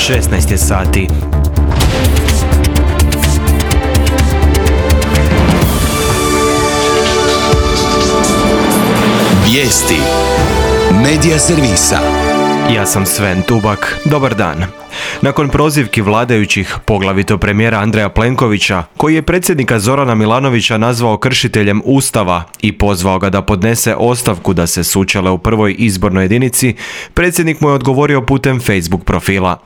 16 je sati. Vijesti Medija servisa. Ja sam Sven Tubak. Dobar dan. Nakon prozivki vladajućih, poglavito premijera Andreja Plenkovića, koji je predsjednika Zorana Milanovića nazvao kršiteljem Ustava i pozvao ga da podnese ostavku da se sučele u prvoj izbornoj jedinici, predsjednik mu je odgovorio putem Facebook profila.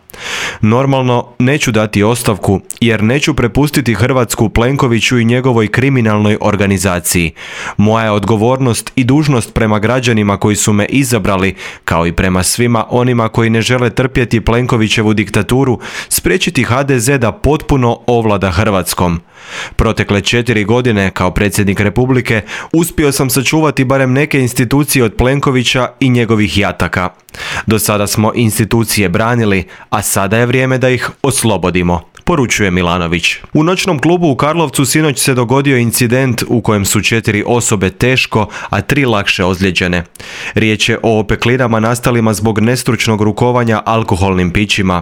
Normalno, neću dati ostavku jer neću prepustiti Hrvatsku Plenkoviću i njegovoj kriminalnoj organizaciji. Moja je odgovornost i dužnost prema građanima koji su me izabrali, kao i prema svima onima koji ne žele trpjeti Plenkovićevu diktaturu, spriječiti HDZ da potpuno ovlada Hrvatskom. Protekle 4 godine kao predsjednik Republike uspio sam sačuvati barem neke institucije od Plenkovića i njegovih jataka. Do sada smo institucije branili, a sada je vrijeme da ih oslobodimo, poručuje Milanović. U noćnom klubu u Karlovcu sinoć se dogodio incident u kojem su 4 osobe teško, a 3 lakše ozlijeđene. Riječ je o opeklinama nastalima zbog nestručnog rukovanja alkoholnim pićima.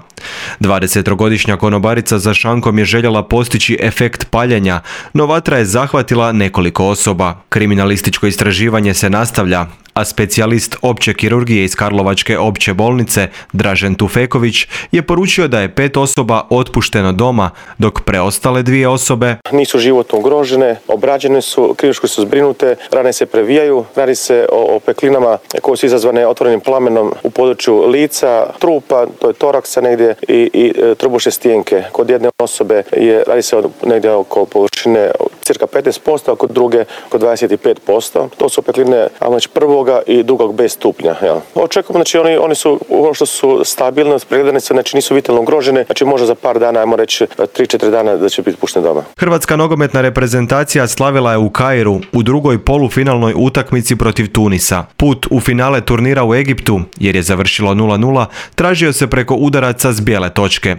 20-godišnja konobarica za šankom je željela postići efekt paljenja, no vatra je zahvatila nekoliko osoba. Kriminalističko istraživanje se nastavlja, a specijalist opće kirurgije iz Karlovačke opće bolnice Dražen Tufeković je poručio da je 5 osoba otpušteno doma, dok preostale 2 osobe nisu životno ugrožene, obrađene su, kirurški su zbrinute, rane se previjaju, radi se o opeklinama koje su izazvane otvorenim plamenom u području lica, trupa, to je toraksa negdje i trbušne stijenke. Kod jedne osobe radi se negdje oko površine cirka 15%, a kod druge oko 25%. To su opekline prvoga i drugog B stupnja. Očekujemo, oni su ono što su stabilne, pregledane se, nisu vitalno ugrožene, možda za par dana, ajmo reći 3-4 dana da će biti puštene doma. Hrvatska nogometna reprezentacija slavila je u Kairu u drugoj polufinalnoj utakmici protiv Tunisa. Put u finale turnira u Egiptu, jer je završilo 0-0, tražio se preko udaraca s bijele točke.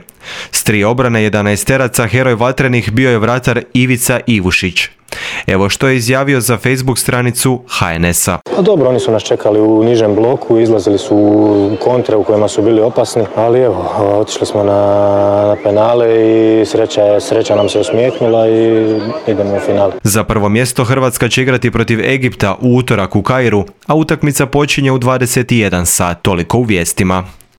S 3 obrane 11-teraca heroj vatrenih bio je vratar Ivica Ivušić. Evo što je izjavio za Facebook stranicu HNS-a. Dobro, oni su nas čekali u nižem bloku, izlazili su u kontre u kojima su bili opasni, ali evo, otišli smo na penale i sreća nam se osmijehnula i idemo u finale. Za prvo mjesto Hrvatska će igrati protiv Egipta u utorak u Kairu, a utakmica počinje u 21 sat, toliko u vijestima.